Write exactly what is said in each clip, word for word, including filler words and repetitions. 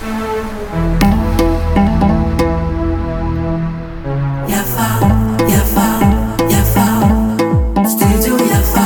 Yafa, yafa, yafa, studio Yafa.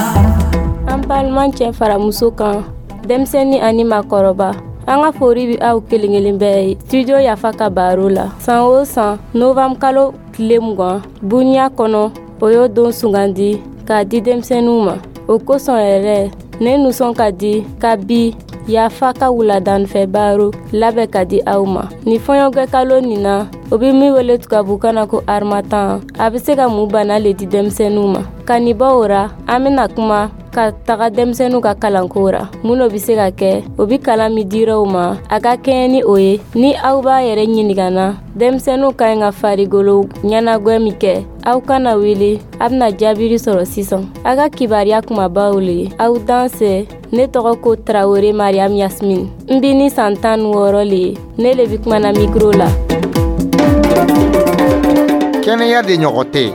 An balima cɛ fara muso kan, denmisɛnnin ani maakɔrɔba, an ka fori bɛ aw kelen kelen bɛɛ ye Studio Yafa ka baro la. San o san, novembre kalo tile mugan, duniya kɔnɔ, o y'o don sugandi k'a di denmisɛnninw ma. O kosɔn yɛrɛ, ne nisɔn ka di ka bi Yafa ka wuladanfɛ baro labɛn ka di aw ma nin fɔɲɔgɔn kalo nin na, o bɛ min wele tubabukan na ko harmattan. A bɛ se ka mun bana le di denmisɛnninw ma? Ka nin bɔ o ra, an bɛna kuma ka taga denmisɛnninw ka kalanko ra. Mun de bɛ se ka kɛ o bɛ kalan min dira u ma, a ka kɛɲɛ ni o ye? Ni aw b'a yɛrɛ ɲininka na, denmisɛnninw ka ɲi ka farikolo ɲɛnagwɛ min kɛ, aw kana wuli, a bɛna jaabiri sɔrɔ sisan. A ka kibaruya kumabaw le ye. Aw dansɛ. Ne tɔgɔ ko Tarawele Mariam Yasmin, n bi ni san tan ni wɔɔrɔ le ye. Ne le bi kumana micro la. Kɛnɛya de ɲɔgɔn tɛ.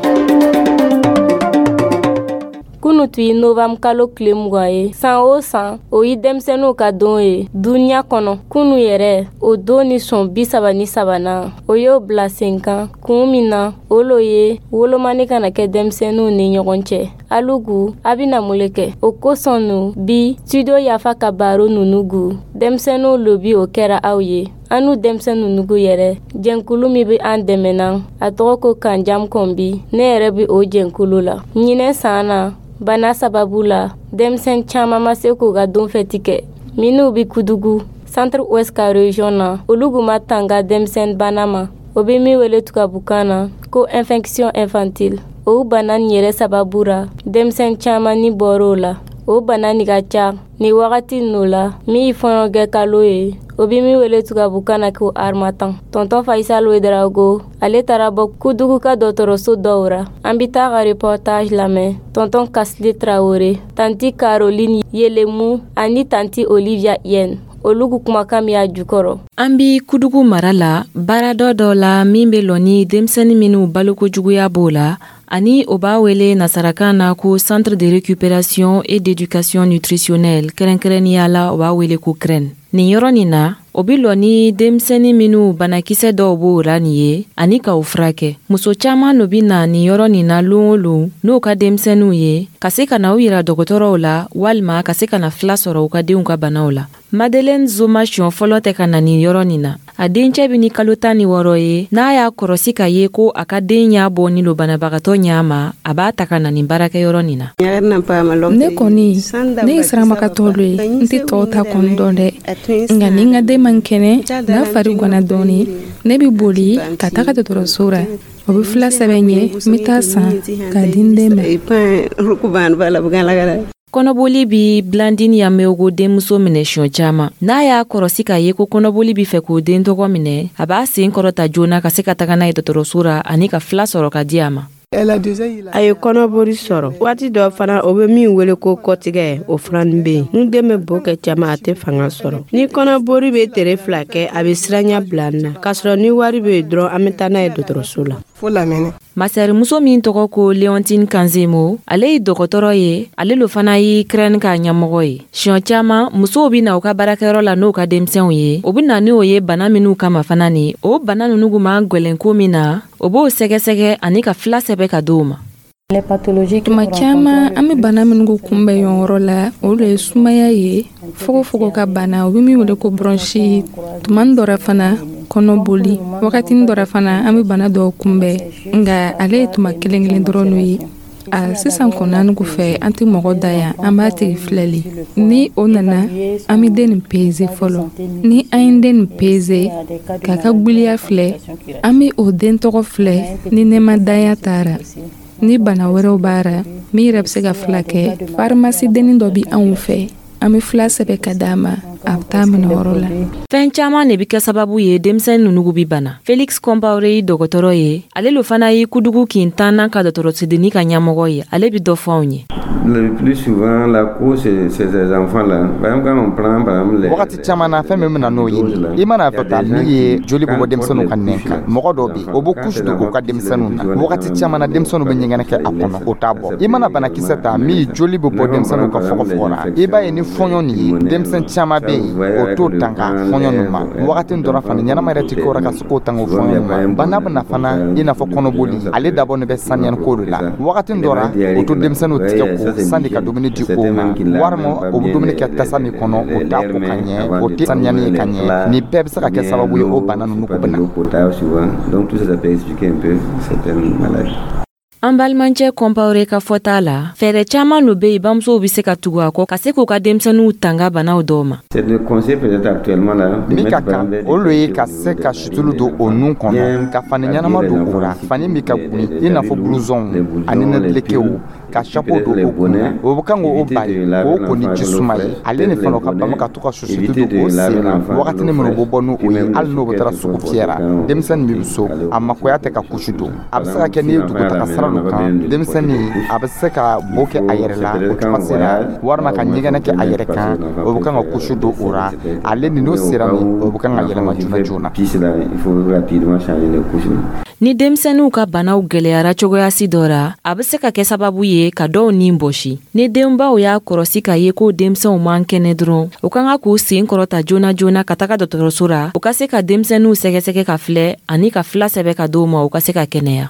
Kunu tun ye novembre kalo tile mugan ye. San o san, o ye denmisɛnninw ka don ye duniya kɔnɔ. Kunu yɛrɛ, o don ni sɔn bi saba ni sabanan, o y'o bila sen kan kun min na, o lo ye wolomani kana kɛ denmisɛnninw ni ɲɔgɔn cɛ. Alugu a bɛna mun le kɛ o kosɔn nu? Bi Studio Yafa ka baro nunu gu, denmisɛnninw lo bi o kɛra aw ye. An n'u denmisɛn nunugu yɛrɛ jɛnkulu min bɛ an dɛmɛna, a tɔgɔ ko Kanjam Kɔnbi. Ne yɛrɛ bɛ o jɛnkulu la. Ɲinɛ san na, bana sababu la, denmisɛn caman ma se k'u ka don fɛti kɛ. Minnu bɛ Kudugu, Centre Ouest ka région na, olu kun ma tanga denmisɛn bana ma, o bɛ min wele tubabukan na ko infection infantile. O bana nin yɛrɛ sababu ra, denmisɛn caman ni bɔr'o la. O bana nin ka ca nin wagati ninnu la, min ye fɔɲɔgɔn kalo ye, o bɛ min wele tubabukan na ko harmattan. Tonton Faisal Ouedraogo, ale taara bɔ Kudugu ka dɔgɔtɔrɔso dɔw ra. An bɛ taa ka reportage lamɛn. Tonton Kasile Traoré, tantie Caroline Yelemu ani tantie Olivia Yen, olu ku kumakan min y'a jukɔrɔ. An bi Kudugu mara la, baaradɔ dɔ la min be lɔ ni denmisɛni minw balokojuguya b'o la, ani o b'a wele nasarakan na ko Centre de récupération et d'éducation nutritionnelle, kɛrɛnkɛrɛnniya la o b'a wele ko CREN. Nin yɔrɔ nin na, o bi lɔ ni denmisɛni minw banakisɛ dɔw b'o ra nin ye ani ka o furakɛ. Muso caaman lo bi na nin yɔrɔ nin na loon o loon n'o ka denmisɛniw ye, ka se ka na u yira dɔgɔtɔrɔw la walima ka se ka na fila sɔrɔ u ka denw ka banaw la. Madeleine Zoma siɲɔ fɔlɔ tɛ ka na nin yɔrɔ nin na. A dencɛ bi ni kalo tan ni wɔɔrɔ ye. N'a y'a kɔrɔsi ka ye ko a ka den ɲa bɔnin lo banabagatɔ ɲa ma, a b'a ta ka na nin baarakɛyɔrɔ nin na. Ne kɔni, ne ye siramagatɔ dɔ ye, n tɛ tɔw ta kɔni dɔn dɛ, nka ni n ka den man kɛnɛ, n'a fari gwanna dɔɔni, ne bɛ boli ka taga dɔgɔtɔrɔso la. O bɛ fila sɛbɛn n ye, n bɛ taa san k'a di n den ma. Kɔnɔboli bi Blandine Yameogo denmuso minɛ siɲɔ caaman. N'a y'a kɔrɔsi k'a ye ko kɔnɔboli bi fɛ k'o den tɔgɔ minɛ, a b'a sen kɔrɔta joona ka se ka taga n'a ye dɔgɔtɔrɔso ra ani ka fila sɔrɔ ka di a ma. A ye kɔnɔbori sɔrɔ waati dɔ fana, o bɛ min wele ko kɔtigɛ, o fana bɛ yen. Ni den bɛ bo kɛ caman, a tɛ fanga sɔrɔ. Ni kɔnɔbori bɛ tere fila kɛ, a bɛ siranya bila n na, k'a sɔrɔ ni wari bɛ yen dɔrɔn, an bɛ taa n'a ye dɔgɔtɔrɔso la. Masɛrimuso min tɔgɔ ko Leontine Kanzemo, ale ye dɔgɔtɔrɔ ye, ale lo fana ye CREN ka ɲɛmɔgɔ ye. Siɲɔ caaman, musow be na u ka baarakɛyɔrɔ la n'u ka denmisɛnw ye. O be na n'o ye bana minw kama fana ni o bana nunu kun man gwɛlɛn ko min na, o b'o sɛgɛsɛgɛ ani ka fila sɛbɛ ka d'o ma. Tuma caman, an bɛ bana minnu ko kunbɛn yɔrɔ la, o de ye sumaya ye, fogofogo ka bana, o bɛ min wele ko bronchite. Tuma dɔ la fana, kɔnɔboli. Wagatinin dɔ la fana, an bɛ bana dɔw kunbɛn, nka ale ye tuma kelen kelen dɔrɔn ye. A sisan kɔni, an fɛ, an tɛ mɔgɔ da yan, an b'a tigi filɛli. Ni o nana, an bɛ den nin peze fɔlɔ. Ni an ye den nin peze k'a ka gbiliya filɛ, an bɛ o den tɔgɔ filɛ. Ni nɛmadanya taara, ni bana wɛrɛw b'a ra min yɛrɛ bɛ se ka fila kɛ, farimasi dennin dɔ bɛ anw fɛ, an bɛ fila sɛbɛn ka d'a ma, a bɛ taa minɛ yɔrɔ la. Fɛn caaman de be kɛ sababu ye denmisɛn nunugu bi bana. Felix Compaoré ye dɔgɔtɔrɔ ye, ale lo fana ye Kudugu kin tannan ka dɔgɔtɔrɔsodenni ka ɲɛmɔgɔ ye. Ale bi dɔ fɔ anw ye. Le plus souvent, la cause, c'est ces enfants-là. Par exemple, quand on prend, par exemple, les Wagati caman na, fɛn min bɛna n'o ye, i mana fɛ ta min ye, joli bɛ bɔ denmisɛnninw ka nɛn kan. Mɔgɔ dɔw bɛ yen, o bɛ couche don u ka denmisɛnninw na. Wagati caman na, denmisɛnninw bɛ ɲɛgɛnɛ kɛ a kɔnɔ, o t'a bɔ. I mana banakisɛ ta min ye, joli bɛ bɔ denmisɛnninw ka fɔgɔfɔgɔ la. I b'a ye ni fɔɲɔ nin ye, denmisɛn caman bɛ bɛ yen, o t'o tanga fɔɲɔ ninnu ma. Wagati dɔ la fana, ɲɛnama yɛrɛ tɛ k'o la ka se k'o tanga o fɔɲɔ ninnu ma. Bana bɛ na fana, i n'a fɔ kɔnɔboli, ale dabɔ bɛ saniyani ko de la. Wagati dɔ la, o to denmisɛnninw tigɛ ko sani ka dumuni di o ma, walima o bɛ dumuni kɛ tasa min kɔnɔ, o t'a ko ka ɲɛ, o tɛ saniyani ye ka ɲɛ. Nin bɛɛ bɛ se ka kɛ sababu ye o bana ninnu ko bɛ na. Donc tout ça, ça peut expliquer un peu certaines maladies. An balimacɛ Kɔnpawure ka fɔta la, fɛɛrɛ caaman lo be yen, bamusow be se ka tugu a kɔ ka se k'u ka denmisɛniw tanga banaw dɔw ma. Min ka kan, o lo ye ka se ka situlu don o nun kɔnɔ, ka fani ɲɛnama don o la, fani min ka gwin, i n'a fɔ blouson ani nɛdelekew, ka chapeau don o kunna. O bɛ kan k'o bali k'o ko ni ji suma ye. Ale ni fana, ka bama ka to ka susutu don o sen na wagatinin minnu bɛ bɔ n'o ye, hali n'o bɛ taara sugu fiyɛ la. Denmisɛnnin min bɛ so, a makoya tɛ ka couche don. A bɛ se ka kɛ n'i ye dugutaga sira dɔ kan, denmisɛnnin a bɛ se ka bo kɛ a yɛrɛ la o cogo la, walima ka ɲɛgɛnɛ kɛ a yɛrɛ kan. O bɛ kan ka couche don o la. Ale ni n'o sera min, o bɛ kan ka yɛlɛma joona joona. Ni denmisɛnninw ka banaw gwɛlɛyara cogoyasi dɔ ra, a be se ka kɛ sababu ye ka dɔw nin bɔsi. Ni denbaw y'a kɔrɔsi k'a ye ko denmisɛnw man kɛnɛ dɔrɔn, u ka kan k'u sen kɔrɔta joona joona ka taga dɔgɔtɔrɔso ra, u ka se ka denmisɛnninw sɛgɛsɛgɛ ka filɛ ani ka fila sɛbɛ ka d'u ma, u ka se ka kɛnɛya.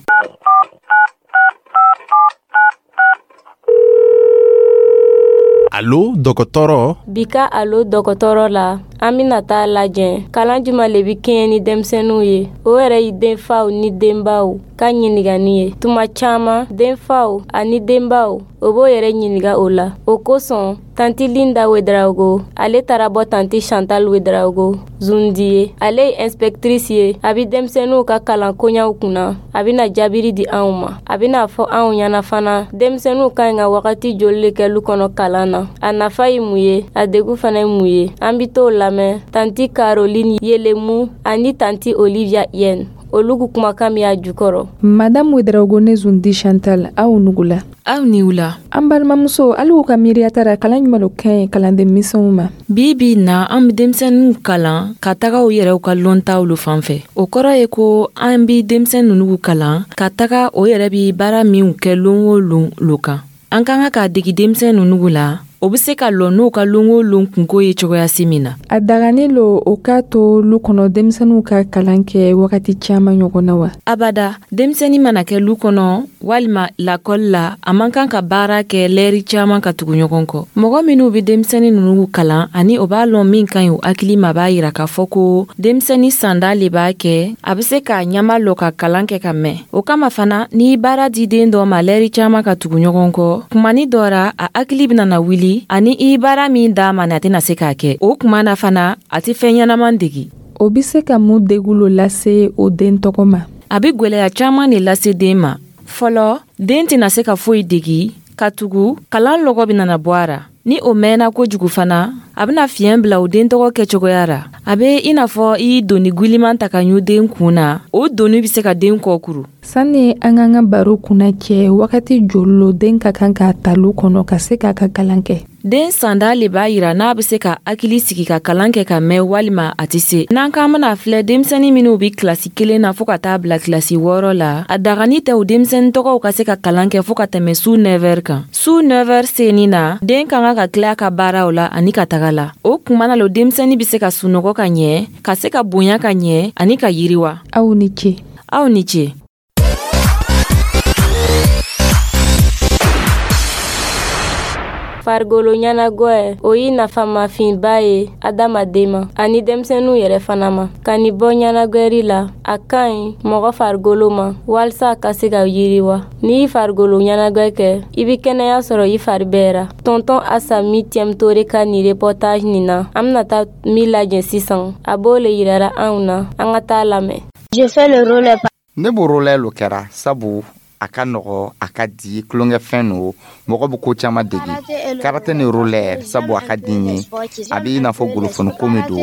Alo dɔgɔtɔrɔ. Bi ka Alo dɔgɔtɔrɔ la, an bɛna taa lajɛ kalan juma le bɛ kɛɲɛ ni denmisɛnninw ye. O yɛrɛ ye denfaw ni denbaw ka ɲininkali ye. Tuma caman, denfaw ani denbaw, o b'o yɛrɛ ɲininka o la. O kosɔn, tanti Linda Wedarawogo, ale taara bɔ tanti Chantal Wedarawogo Zundi ye. Ale ye inspectrice ye, a bɛ denmisɛnninw ka kalan koɲaw kunna. A bɛna jaabiri di anw ma. A bɛna fɔ anw ɲɛna fana, denmisɛnninw ka ɲi ka wagati joli le kɛ lu kɔnɔ kalan na, a nafa ye mun ye, a degun fana ye mun ye. An bɛ t'o lamɛn tanti Caroline Yelemu ani tanti Olivia Yen, olu kumakan min y'a jukɔrɔ. Madame Wedarawogo ne Zundi Chantal, aw nugula. Aw ni wula. An balimamuso, hali u ka miiriya tara, kalan ɲuman lo ka ɲi kalanden misɛnw ma? Bi bi na, an be denmisɛnninw kalan ka taga u yɛrɛw ka lɔntaw lo fan fɛ. O kɔrɔ ye ko an bi denmisɛn ninnu kalan ka taga o yɛrɛ bi baara minw kɛ lon o lon lo kan. An ka kan k'a degi denmisɛn ninnu la, o be se ka lɔ n'u ka lon o lon kunko ye cogoyasi min na. A dagani lo o k'a to lu kɔnɔ denmisɛnninw ka kalan kɛ wagati caaman ɲɔgɔn na wa? Abada, denmisɛnnin mana kɛ lu kɔnɔ walima lakɔli la, a man kan ka baara kɛ lɛri caaman ka tugu ɲɔgɔn kɔ. Mɔgɔ minw be denmisɛnnin ninnu kalan ani o b'a lɔn min ka ɲi u hakili ma, b'a yira k'a fɔ ko denmisɛnnin sanda le b'a kɛ, a be se k'a ɲama lɔ ka kalan kɛ ka mɛn. O kama fana, n'i baara di den dɔ ma lɛri caaman ka tugu ɲɔgɔn kɔ, kumani dɔ ra, a hakili bɛna na wuli ani i baara min d'a ma, na tɛna se k'a kɛ. O kuma na fana, a tɛ fɛn ɲɛnaman degi. O bɛ se ka mun degun lo lase o den tɔgɔ ma? A bɛ gwɛlɛya caaman de lase den ma. Fɔlɔ, den tɛna se ka foyi degi, ka tugu kalan lɔgɔ bɛ nana bɔ a ra. Ni o mɛnna kojugu fana, a bɛna fiɲɛ bila o den tɔgɔ kɛcogoya ra. A bɛ i n'a fɔ i ye doni gwiliman ta ka ɲu den kun na, o doni bɛ se ka den kɔ kuru. Sanni an k'an ka baro kunna cɛ, wagati joli lo den ka kan k'a ta lu kɔnɔ ka se k'a ka kalan kɛ? Den sanda le b'a yira n'a bɛ se ka hakili sigi ka kalan kɛ ka mɛn walima a tɛ se. N'an k'an bɛna filɛ, denmisɛnnin minnu bɛ kilasi kelen na fɔɔ ka taa bila kilasi wɔɔrɔ la, a dagani tɛ o denmisɛnnin tɔgɔw ka se ka kalan kɛ fɔɔ ka tɛmɛ su nɛvɛri kan. Su nɛvɛri senni na, den ka kan ka tila ka baaraw la ani ka taga la. O kuma na lo denmisɛnnin bɛ se ka sunɔgɔ ka ɲɛ, ka se ka bonya ka ɲɛ ani ka yiriwa. Aw ni ce. Aw ni ce. Farikolo ɲɛnagwɛ, o ye nafamafinba ye adamaden ma ani denmisɛnninw yɛrɛ fana ma. Ka nin bɔ ɲɛnagwɛri la, a ka ɲi mɔgɔ farikolo ma walisa a ka se ka yiriwa. N'i y'i farikolo ɲɛnagwɛ kɛ, i bɛ kɛnɛya sɔrɔ i fari bɛɛ ra. Tɔntɔn Asami Tiɛmutore ka nin reportage nin na, an bɛna taa min lajɛ sisan, a b'o le yirara anw na. An ka taa lamɛn. Ne b'o roller lo kɛra sabu a ka nɔgɔ, a ka di, tulonkɛfɛn no, mɔgɔ bɛ ko caman degi. Karate ni roller, sabu a ka di n ye. A bɛ i n'a fɔ golofoniko min don,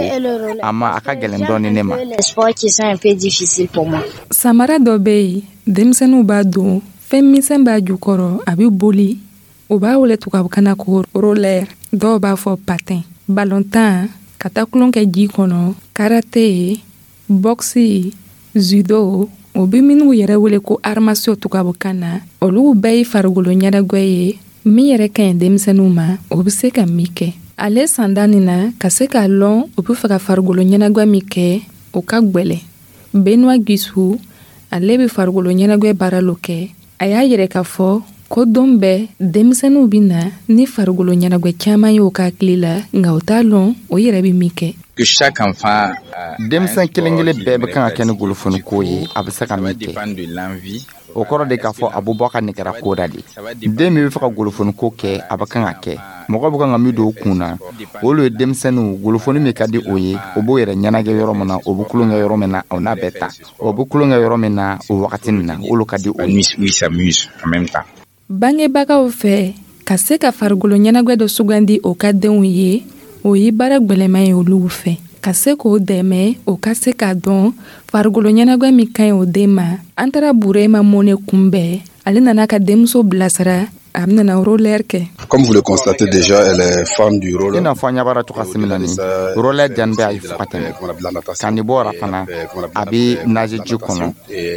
a ma a ka gɛlɛn dɔɔni ne ma. Samara dɔ bɛ yen, denmisɛnninw b'a don, fɛn misɛn b'a jukɔrɔ, a bɛ boli. O b'a wele tubabukan na ko roller, dɔw b'a fɔ patin. Balontan, ka taa tulon kɛ ji kɔnɔ, karate, boxe, judo, o bɛ minnu yɛrɛ wele ko arts martiaux tubabukan na, olu bɛɛ ye farikolo ɲɛnajɛ ye min yɛrɛ ka ɲi denmisɛnninw ma, o bɛ se ka min kɛ. Ale sanda nin na ka se k'a lɔn u be fɛ ka farigolo ɲɛnagwɛ min kɛ, o ka gwɛlɛ. Benoit Guissou, ale be farigolo ɲɛnagwɛ baara lo kɛ. A y'a yɛrɛ k'a fɔ ko don bɛɛ denmisɛnninw bɛ na ni farigolo ɲɛnagwɛ caman ye o ka hakili la, nka o t'a lɔn o yɛrɛ bɛ min kɛ. Denmisɛn kelen kelen bɛɛ bɛ kan ka kɛ ni golofoniko ye, a bɛ se ka min kɛ. O kɔrɔ de k'a fɔ a bɛ bɔ a ka nɛgɛra ko da de. Den min bɛ fɛ ka golofoniko kɛ, a bɛ kan ka kɛ. Mɔgɔ bɛ kan ka min don o kun na, olu ye denmisɛnninw golofoni min ka di o ye, o b'o yɛrɛ ɲɛnajɛ yɔrɔ min na, o bɛ tulonkɛ yɔrɔ min na, o n'a bɛɛ ta, o bɛ tulonkɛ yɔrɔ min na o wagati nin na, olu ka di o ye. Bangebagaw fɛ, ka se ka farikolo ɲɛnagwɛ dɔ sugandi o ka denw ye, o ye baara gwɛlɛman ye olu fɛ. Ka se k'o dɛmɛ o ka se k'a dɔn farikolo ɲɛnagwɛ min ka ɲi o den ma. An taara Burema Mone kunbɛn, ale nana ka denmuso bilasira, a bɛna roller kɛ. Comme vous le constatez déjà, elle est fan du roller. I n'a fɔ an ɲɛ b'a la cogoya min na nin, roller diyani bɛ a ye fo ka tɛmɛ. Ka nin bɔ o la fana, a bɛ nager ji kɔnɔ.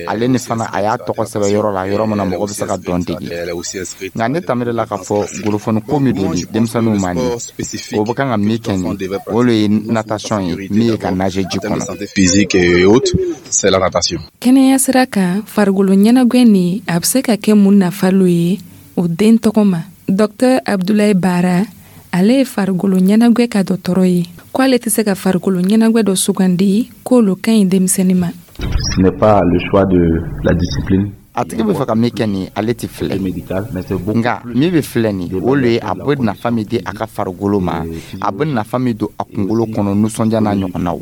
Ale ni fana, a y'a tɔgɔ sɛbɛn yɔrɔ la, yɔrɔ min na mɔgɔ bɛ se ka dɔn dege. Nka ne tamira la k'a fɔ golofoni ko min don denmisɛnninw ma nin, o bɛ kan ka min kɛ nin, o de ye natation ye, min ye ka nager ji kɔnɔ. Physique et autres, c'est la natation. Kɛnɛya sira kan, farikolo ɲɛnagwɛ nin, a bɛ se ka kɛ mun nafa lo ye o den tɔgɔ ma? Dɔktɛr Abdulayi Bara, ale ye farikolo ɲɛnagwɛ ka dɔgɔtɔrɔ ye, ko ale tɛ se ka farikolo ɲɛnagwɛ dɔ sugandi k'olu ka ɲi denmisɛnnin ma. Ce n'est pas le choix de la discipline. A tigi bɛ fɛ ka min kɛ nin, ale tɛ filɛ, nka min bɛ filɛ nin, o le ye a bɛ nafa min di a ka farikolo ma, a bɛ nafa min don a kunkolo kɔnɔ, nisɔndiya n'a ɲɔgɔnnaw.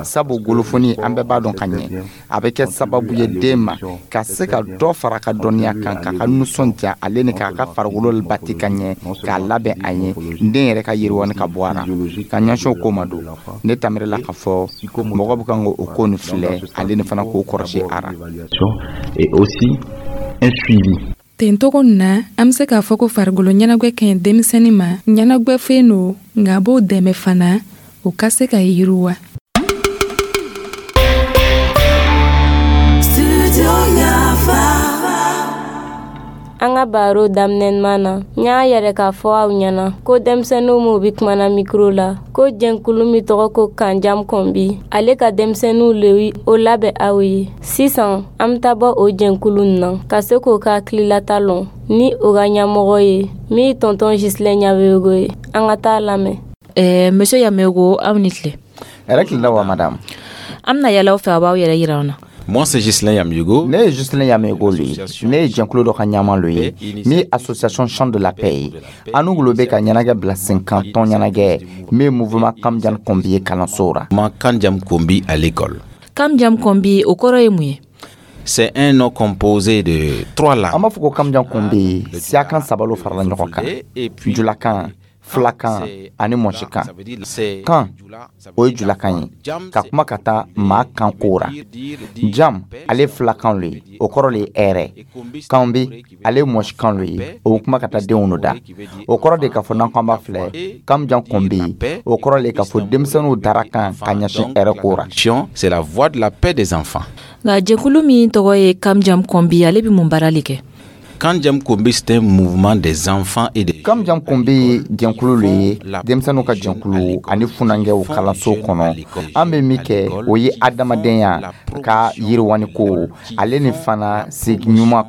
Sabu golofoni, an bɛɛ b'a dɔn ka ɲɛ, a bɛ kɛ sababu ye den ma ka se ka dɔ fara a ka dɔnniya kan, k'a ka nisɔndiya, ale ni k'a ka farikolo bati ka ɲɛ, k'a labɛn a ɲɛ, den yɛrɛ ka yiriwani ka bɔ a la ka ɲɛsin o ko ma. Don ne tamira la k'a fɔ mɔgɔ bɛ kan k'o ko nin filɛ, ale ni fana k'o kɔrɔsi a ra. Et aussi un suivi. Ten togo na, an be se k'a fɔ ko farikolo ɲɛnagwɛ ka ɲi denmisɛnnin ma. Ɲɛnagwɛ fen no, nka a b'o dɛmɛ fana o ka se ka yiriwa. An ka baro daminɛman na, n y'a yɛrɛ k'a fɔ aw ɲɛna ko denmisɛnninw m'u bi kumana mikro la, ko jɛnkulu min tɔgɔ ko Kanjam Kɔnbi, ale ka denmisɛnninw le o labɛn aw ye. Sisan an bɛ taa bɔ o jɛnkulu na ka se k'o ka hakililata lɔn ni o ka ɲɛmɔgɔ ye min ye tɔntɔn Gislain Ɲabego ye. An ka taa lamɛn. Eh, monsieur Yamego, aw ni tile. Hɛrɛ tile la wa, madame. An bɛna yala aw fɛ, a b'aw yɛrɛ yira an na. Moi, c'est Gislain Yamego. Ne ye Gislain Yamego le ye. Ne ye jɛnkulu dɔ ka ɲɛmaa lo ye, min ye association Champ de la Paix ye. An n'u bɛ ka ɲɛnajɛ bila sen kan, tɔn ɲɛnajɛ min ye mouvement Kamjan Kombi ye kalanso ra. Mouvement Kanjam Kombi à l'école. Kamjam Kombi, o kɔrɔ ye mun ye? C'est un nom composé de trois langues. An b'a fɔ ko Kamjan Kombi, siyakan saba lo farala ɲɔgɔn kan: julakan, filakan ani mɔsikan. Kan, o ye julakan ye, ka kuma ka taa maa kan ko ra. Jam, ale filakan lo ye, o kɔrɔ le ye hɛrɛ. Kanbi, ale ye mɔsikan lo ye, o bɛ kuma ka taa denw no da. O kɔrɔ de k'a fɔ n'an ko an b'a filɛ Kamjan Kɔnbi, o kɔrɔ le k'a fɔ denmisɛnninw dara kan ka ɲɛsin hɛrɛ ko ra. C'est la voix de la paix des enfants. Nka jɛkulu min tɔgɔ ye Kamjam Kɔnbi, ale bɛ mun baara le kɛ? Kanjam Kombi, c'est un mouvement des enfants et des Kamjam Kombi jɛnkulu le ye denmisɛnninw ka jɛnkulu ani funankɛw kalanso kɔnɔ. An bɛ min kɛ, o ye adamadenya ka yiriwani ko, ale ni fana sigi ɲuman,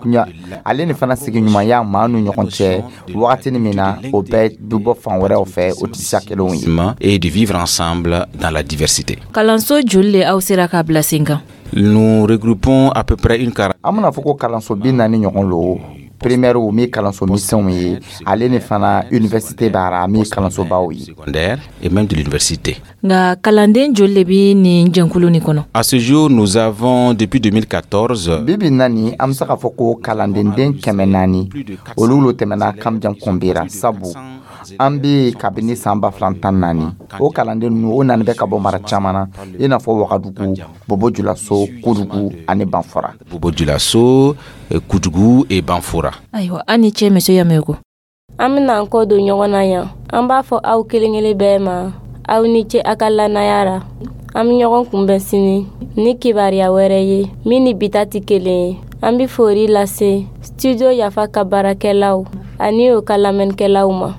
ale ni fana sigi ɲumanya maa n'u ɲɔgɔn cɛ. Wagati min na o bɛɛ bɛ bɔ fan wɛrɛw fɛ, o tɛ siya kelenw ye. Et de vivre ensemble dans la diversité. Kalanso joli le aw sera k'a bila sen kan? Nous regroupons à peu près une quarantaine. An bɛna fɔ ko kalanso bi naani ɲɔgɔn lo, primaire min kalanso misɛnw ye, ale ni fana université b'a ra, min ye kalansobaw ye. Secondaire et même de l'université. Nka kalanden joli le bi nin jɛnkulu nin kɔnɔ? À ce jour, nous avons depuis deux mille quatorze. Bi bi naani, an bɛ se k'a fɔ ko kalandenden kɛmɛ naani olu lo tɛmɛna Kamjan Kɔnbi ra, sabu an bɛ kabini san ba fila tan naani. O kalanden ninnu, o nani bɛ ka bɔ mara caman na, i n'a fɔ Wagadugu, Bobo Julaso, Kudugu ani Banfora. Bobo Julaso, Kudugu et Banfora. Ayiwa, an ni ce, monsieur Yamego. An bɛna an kɔ don ɲɔgɔn na yan. An b'a fɔ aw kelen kelen bɛɛ ma, aw ni ce a ka lannaya ra. An bɛ ɲɔgɔn kunbɛn sini ni kibaruya wɛrɛ ye min ni bi ta tɛ kelen ye. An bɛ fori lase studio Yafa ka baarakɛlaw ani o ka lamɛnnikɛlaw ma.